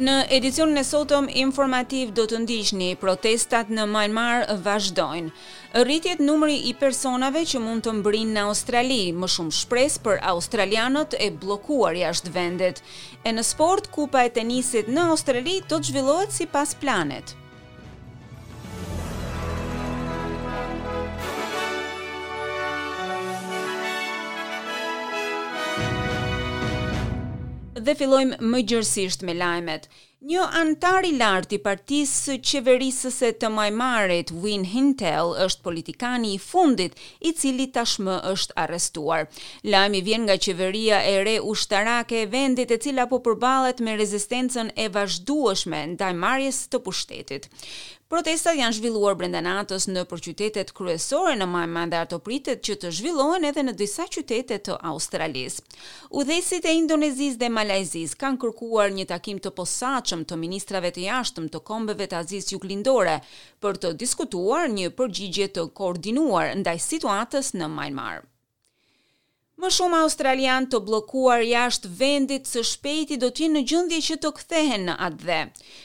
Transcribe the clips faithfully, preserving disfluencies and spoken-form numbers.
Në edicionin e sotëm informativ do të ndiqni protestat në Myanmar vazhdojnë. Rritet numri i personave që mund të mbrijnë në Australi, më shumë shpresë për australianët e bllokuar jashtë vendit. E në sport, kupa e tenisit në Australi do të zhvillohet sipas planit. Dhe fillojmë më gjërësisht me lajmet. Një anëtar i lartë i partisë qeverisëse të Myanmarit, Win Htun, është politikani i fundit i cili tashmë është arrestuar. Lajmi vjen nga qeveria e re ushtarake e vendit, e cila po përballet me rezistencën e vazhdueshme ndaj marrjes të pushtetit. Protestat janë zhvilluar brenda natës në përqytetet kryesore në Myanmar dhe ato pritet që të zhvillohen edhe në disa qytete të Australisë. Udhëheqësit e Indonezisë dhe Malajzisë kanë kërkuar një takim të posaçëm të ministrave të jashtëm të kombeve të Azisë Juglindore për të diskutuar një përgjigje të koordinuar ndaj situatës në Myanmar. Më shumë australian të bllokuar jashtë vendit së shpejti do të jenë në gjendje që të kthehen në atdhe.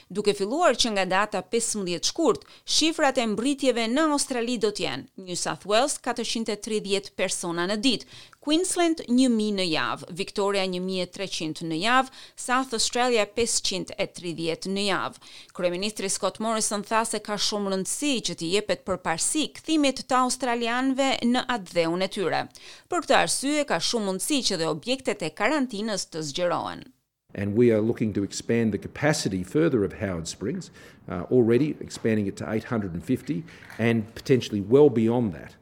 Duke filluar që nga data pesëmbëdhjetë shkurt, shifrat e mbritjeve në Australi do të jenë New South Wales katërqind e tridhjetë persona në ditë, Queensland një mijë në javë, Victoria një mijë e treqind në javë, South Australia pesëqind e tridhjetë në javë. Kryeministri Scott Morrison tha se ka shumë rëndësi që t'i jepet përparësi kthimit të australianëve në atdheun e tyre. Për këtë arsye ka shumë mundësi që dhe objektet e karantinës të zgjerohen. And we are looking to expand the capacity further of Howard Springs, uh, already expanding it to eight hundred and fifty and potentially well beyond that.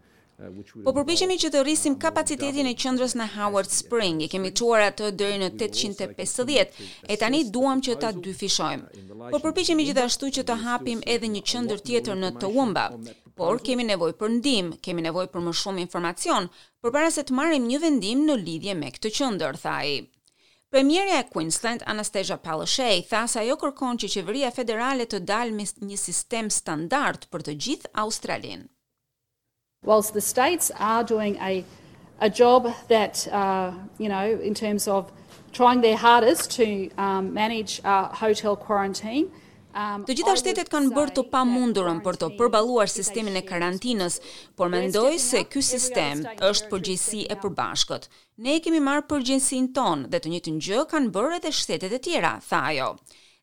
Po përpiqemi që të rrisim kapacitetin e qendrës në Howard Spring, e kemi çuar atë deri në tetëqind e pesëdhjetë, e tani duam që ta dyfishojmë. Po përpiqemi gjithashtu që të hapim edhe një qendër tjetër në Toowoomba, por kemi nevojë për ndihmë, kemi nevojë për më shumë informacion, përpara se të marrim një vendim në lidhje me këtë qendër, tha ai. Premierja e Queensland, Anastasia Palaszczuk, tha se ajo kërkon që qeveria federale të dalë me një sistem standard për të gjithë Australinë. Whilst the states are doing a, a job that, uh, you know, in terms of trying their hardest to, um, manage, uh, hotel quarantine. Um, Të gjitha shtetet kanë bërë të pamundurën për të përballuar sistemin e karantinës, por mendoj se ky sistem është përgjegjësi e përbashkët. Ne kemi marrë përgjegjësinë tonë dhe të njëjtën gjë kanë bërë edhe shtetet e tjera, tha ajo.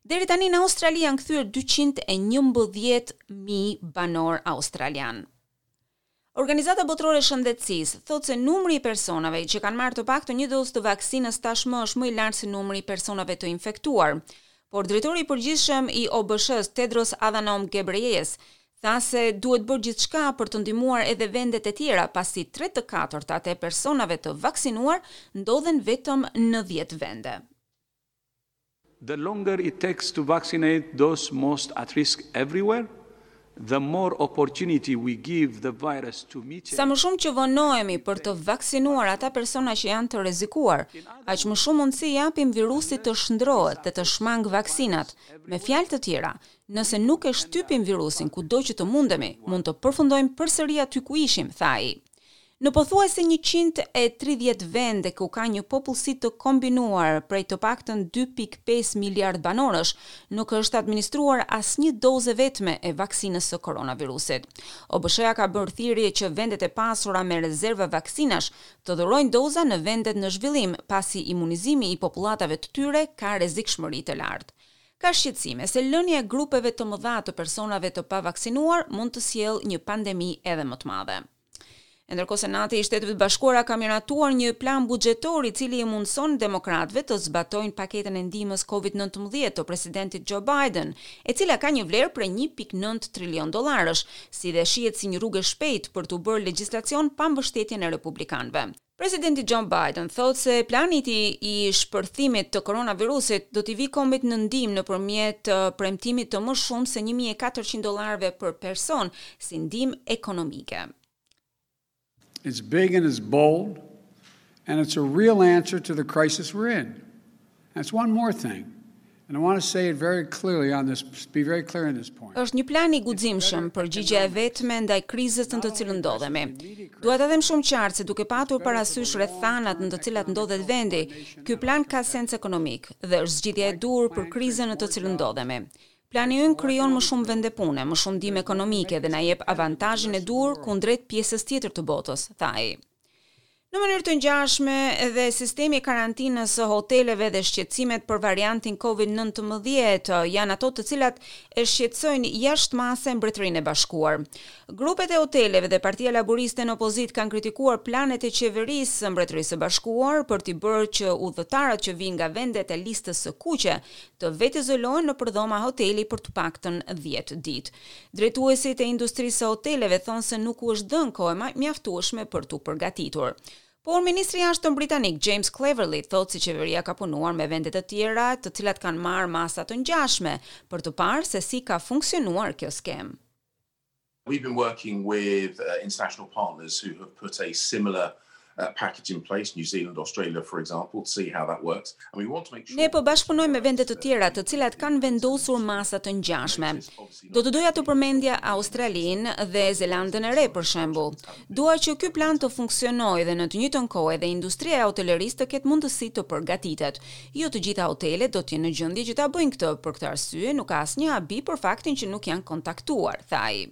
Deri tani në Australi janë kthyer dyqind e njëmbëdhjetë mijë banor australian. Organizata Botërore e Shëndetësisë thotë se numri i personave që kanë marrë të paktën një dozë të vaksinës tashmë është më i lartë se numri i personave të infektuar. Por drejtori i përgjithshëm i O B S-s, Tedros Adhanom Ghebreyesus, tha se duhet bërë gjithçka për të ndihmuar edhe vendet e tjera, pasi tre të katërtat e personave të vaksinuar ndodhen vetëm në dhjetë vende. The longer it takes to vaccinate those most at risk everywhere, the more opportunity we give the virus to mutate. Sa më shumë që vonohemi për të vaksinuar ata persona që janë të rrezikuar, aq më shumë mundësi japim virusit të shndrohet dhe të shmang vaksinat. Me fjalë të tjera, nëse nuk e shtypim virusin kudo që të mundemi, mund të përfundojmë përsëri aty ku ishim, tha ai. Në pothuajse njëqind e tridhjetë vende ku ka një popullsi të kombinuar prej të paktën dy pikë pesë miliard banorësh, nuk është administruar asnjë dozë vetme e vaksinës së koronavirusit. O B S-ja ka bërë thirrje që vendet e pasura me rezerva vaksinash të dhurojnë doza në vendet në zhvillim, pasi imunizimi i popullatave të tyre ka rrezikshmëri të lartë. Ka shqetësime se lënia e grupeve të mëdha të personave të pavaksinuar mund të sjellë një pandemi edhe më të madhe. E ndërkohë Senati i Shteteve të Bashkuara ka miratuar një plan buxhetor i cili i mundson demokratëve të zbatojnë paketën e ndihmës Covid nëntëmbëdhjetë të presidentit Joe Biden, e cila ka një vlerë prej një pikë nëntë trilion dollarësh, si dhe shihet si një rrugë e shpejtë për t'u bërë legjislacion pa mbështetjen e republikanëve. Presidenti Joe Biden thotë se plani i tij i shpërthimit të koronavirusit do t'i vi kombit në ndihmë nëpërmjet, eh, premtimit të më shumë se një mijë e katërqind dollarëve për person si ndihmë ekonomike. It's big and it's bold, and it's a real answer to the crisis we're in. That's one more thing. And I want to say it very clearly on this, be very clear on this point. Është një plan i guximshëm, përgjigjja e vetme ndaj krizës në të cilën ndodhemi. Dua ta them shumë qartë se, duke patur parasysh rrethanat në të cilat ndodhet vendi, ky plan ka sens ekonomik dhe është zgjidhja e duhur për krizën në të cilën ndodhemi. Plani ynë krijon më shumë vende pune, më shumë ndihmë ekonomike dhe na jep avantazhin e duhur kundrejt pjesës tjetër të botës, tha ai. Në mënyrë të ngjashme, edhe sistemi i karantinës së hoteleve dhe shqetësimet për variantin COVID nëntëmbëdhjetë janë ato të cilat e shqetësojnë jashtë mase Mbretërinë e Bashkuar. Grupet e hoteleve dhe Partia Laboriste në opozitë kanë kritikuar planet e qeverisë së Mbretërisë së Bashkuar për t'i bërë që udhëtarët që vijnë nga vendet e listës së kuqe të vetizolohen nëpër dhoma hoteli për të paktën dhjetë ditë. Drejtuesit e industrisë së hoteleve thonë se nuk u është dhënë kohë mjaftueshme për t'u përgatitur. Por ministri i jashtëm britanik James Cleverly thotë se qeveria ka punuar me vende të tjera të cilat kanë marrë masa të ngjashme për të parë se si ka funksionuar kjo skemë. We've been working with uh, international partners who have put a similar uh, package in place, New Zealand, Australia, for example, to see how that works. And we want to make sure Ne po bashkëpunojmë me vende të tjera të cilat kanë vendosur masa të ngjashme. Do të doja të përmendja Australinë dhe Zelandën e Re, për shembull. Dua që ky plan të funksionojë dhe në të njëjtën kohë edhe industria e hotelerisë të ketë mundësi të përgatitet. Jo të gjitha hotelet do të jenë në gjendje që ta bëjnë këtë. Për këtë arsye nuk ka asnjë habi për faktin që nuk janë kontaktuar, tha ai.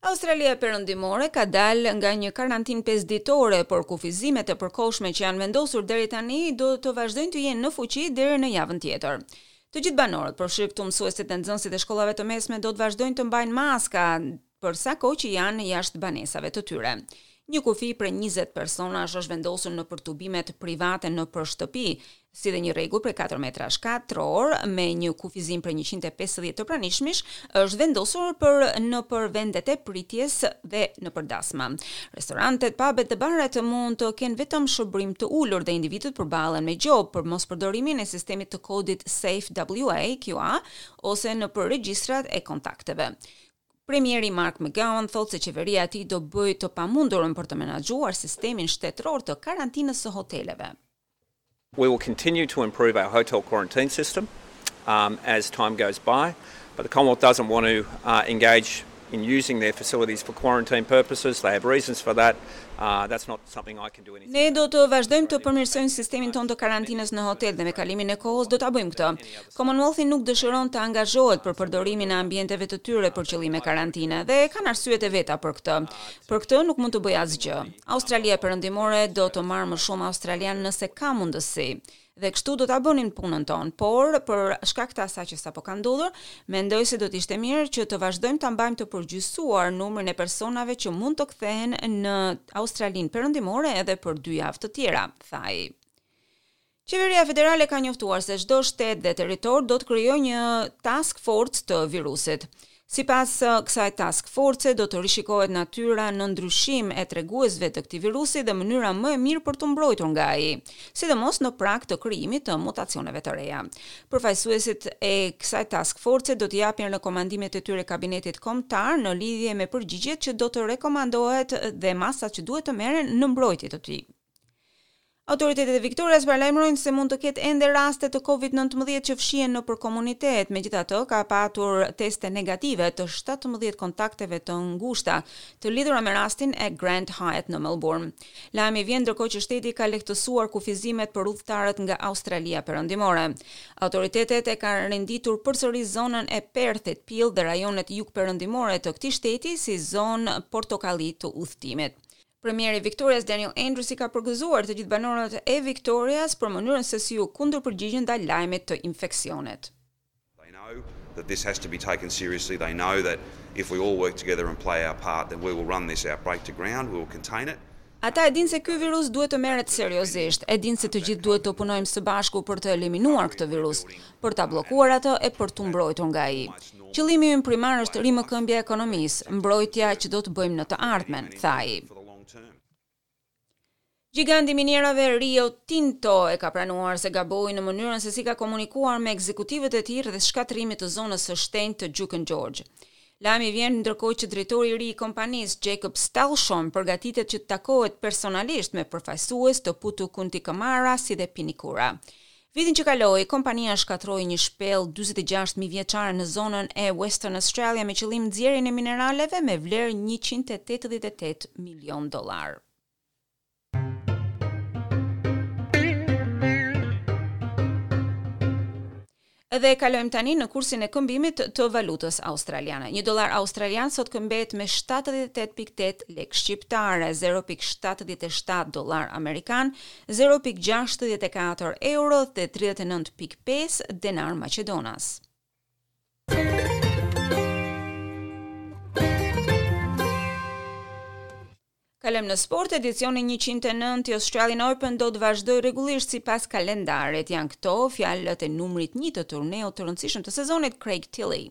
Australia Perëndimore ka dalë nga një karantinë pesë ditore, por kufizimet e përkohshme që janë vendosur deri tani do të vazhdojnë të jenë në fuqi deri në javën tjetër. Të gjithë banorët, përfshirë këtu mësuesit dhe nxënësit e shkollave të mesme, do të vazhdojnë të mbajnë maska për sa kohë që janë jashtë banesave të tyre. Një kufi prej njëzet personash është vendosur nëpër tubimet private nëpër shtëpi, si dhe një rregull prej katër metrash katror me një kufizim prej njëqind e pesëdhjetë të pranishmish është vendosur për nëpër vendet e pritjes dhe nëpër dasma. Restorantet, pubet dhe baret mund të kenë vetëm shërbim të ulur dhe individët përballen me gjobë për mos përdorimin e sistemit të kodit Safe W A, Q A ose nëpër regjistrat e kontakteve. Premieri Mark McGowan thotë se qeveria e tij do bëjë të pamundurën për të menaxhuar sistemin shtetëror të karantinës së hoteleve. We will continue to improve our hotel quarantine system um, as time goes by, but the Commonwealth doesn't want to uh, engage in using their facilities for quarantine purposes. They have reasons for that. Uh, that's not something I can do anything. Ne do të vazhdojmë të përmirësojmë sistemin tonë të karantinës në hotel dhe me kalimin e kohës do ta bëjmë këtë. Commonwealthi nuk dëshiron të angazhohet për përdorimin e ambienteve të tyre për qëllime karantine dhe kanë arsyet e veta për këtë. Për këtë nuk mund të bëj asgjë. Australia Perëndimore do të marrë më shumë australian nëse ka mundësi dhe kështu do ta bënim punën tonë, por për shkak të asaj që sapo ka ndodhur, mendoj se do të ishte mirë që të vazhdojmë ta mbajmë të përgjithësuar numrin e personave që mund të kthehen në Australinë Perëndimore edhe për dy javë të tjera, tha ai. Qeveria federale ka njoftuar se çdo shtet dhe territor do të krijojë një task force të virusit. Sipas uh, kësaj task force, do të rishikohet natyra në ndryshim e treguesve të këtij virusi dhe mënyra më e mirë për të mbrojtur nga ai, sidomos në prag të krijimit të mutacioneve të reja. Përfaqësuesit e kësaj task force do të japin rekomandimet e tyre kabinetit kombëtar në lidhje me përgjigjet që do të rekomandohet dhe masat që duhet të merren në mbrojtje të tij. Autoritetet e Victorias paralajmërojnë se mund të ketë ende raste të COVID nëntëmbëdhjetë që fshihen nëpër komunitet. Megjithatë, ka patur teste negative të shtatëmbëdhjetë kontakteve të ngushta të lidhura me rastin e Grand Hyatt në Melbourne. Lajmi vjen ndërkohë që shteti ka lehtësuar kufizimet për udhëtarët nga Australia Perëndimore. Autoritetet e kanë renditur përsëri zonën e Perthit, Peel dhe rajonet jugperëndimore të këtij shteti si zonë portokalli të udhëtimit. Premieri Victorias Daniel Andrews i ka përgëzuar të gjithë banorët e Victorias për mënyrën se si u kundërpërgjigjën ndaj lajmit të infeksionit. They know that this has to be taken seriously. They know that if we all work together and play our part, then we will run this outbreak to ground, we will contain it. Ata e dinë se ky virus duhet të merret seriozisht, e dinë se të gjithë duhet të punojmë së bashku për të eliminuar këtë virus, për ta bllokuar atë e për t'u mbrojtur nga ai. Qëllimi ynë primar është rimëkëmbja e ekonomisë, mbrojtja që do të bëjmë në të ardhmen, tha ai. Giganti minierave Rio Tinto e ka pranuar se gaboi në mënyrën se si ka komunikuar me ekzekutivët e tij rreth shkatërrimit të zonës së shenjtë të Juukan Gorge. Lajmi vjen ndërkohë që drejtori i ri i kompanisë, Jacob Stausholm, përgatitet që të takohet personalisht me përfaqësues të Putu Kunti Kumara si dhe Pinikura. Vitin që kaloi, kompania shkatërroi një shpellë dyzet e gjashtë mijë vjeçare në zonën e Western Australia me qëllim nxjerrjen e mineraleve me vlerë njëqind e tetëdhjetë e tetë milion dollar. Dhe kalojmë tani në kursin e këmbimit të valutës australiane. Një dollar australian sot këmbehet me shtatëdhjetë e tetë pikë tetë lekë shqiptare, zero pikë shtatëdhjetë e shtatë dollar amerikan, zero pikë gjashtëdhjetë e katër euro dhe tridhjetë e nëntë pikë pesë denar maqedonas. Kalojmë në sport, edicioni njëqind e nëntë i Australian Open do të vazhdojë rregullisht sipas kalendarit. Janë këto fjalët e numrit një të turneut të rëndësishëm të sezonit, Craig Tiley.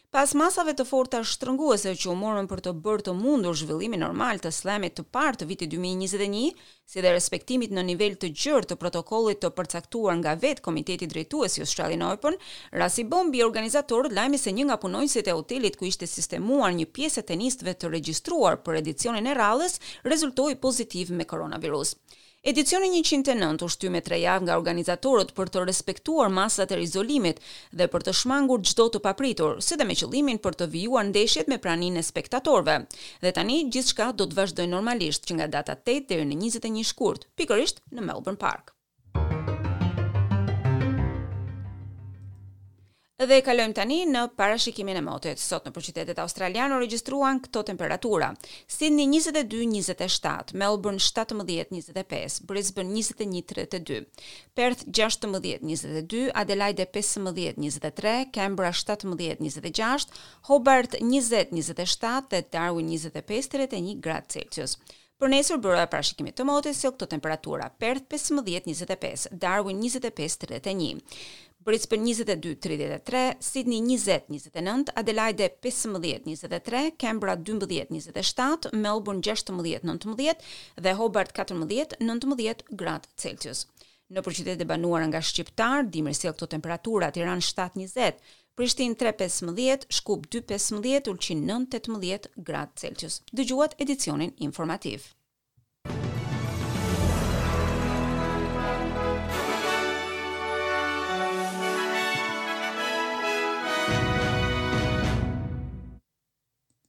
Pas masave të forta shtrënguese që u morën për të bërë të mundur zhvillimin normal të slamit të parë të vitit dy mijë e njëzet e një, si dhe respektimit në nivel të gjerë të protokollit të përcaktuar nga vetë Komiteti Drejtues i Australian Open, ra si bombë i organizatorët lajmi se një nga punonjësit e hotelit ku ishte sistemuar një pjesë e tenistëve të regjistruar për edicionin e radhës rezultoi pozitiv me koronavirus. Edicioni njëqind e nëntë u shty me tre javë nga organizatorët për të respektuar masat e izolimit dhe për të shmangur çdo të papritur, si dhe me qëllimin për të vijuar ndeshjet me praninë e spektatorëve. Dhe tani gjithçka do të vazhdojë normalisht që nga data tetë deri në njëzet e një shkurt, pikërisht në Melbourne Park. Dhe kalojmë tani në parashikimin e motit. Sot në qytetet australiane u regjistruan këto temperatura: Sydney njëzet e dy njëzet e shtatë, Melbourne shtatëmbëdhjetë njëzet e pesë, Brisbane njëzet e një tridhjetë e dy, Perth gjashtëmbëdhjetë njëzet e dy, Adelaide pesëmbëdhjetë njëzet e tre, Canberra shtatëmbëdhjetë njëzet e gjashtë, Hobart njëzet njëzet e shtatë dhe Darwin njëzet e pesë tridhjetë e një gradë Celsius. Për nesër, byroja e parashikimit të motit sjell këto temperatura: Perth pesëmbëdhjetë njëzet e pesë, Darwin njëzet e pesë tridhjetë e një, Brisbane njëzet e dy tridhjetë e tre, Sydney njëzet njëzet e nëntë, Adelaide pesëmbëdhjetë njëzet e tre, Canberra dymbëdhjetë njëzet e shtatë, Melbourne gjashtëmbëdhjetë nëntëmbëdhjetë dhe Hobart katërmbëdhjetë nëntëmbëdhjetë gradë Celsius. Në qytetet e banuara nga shqiptar, dimri sjell këto temperatura: Tiranë shtatë njëzet, Prishtinë tre pesëmbëdhjetë, Shkup dy pesëmbëdhjetë, Ulqin nëntë tetëmbëdhjetë gradë Celsius. Dëgjuat edicionin informativ.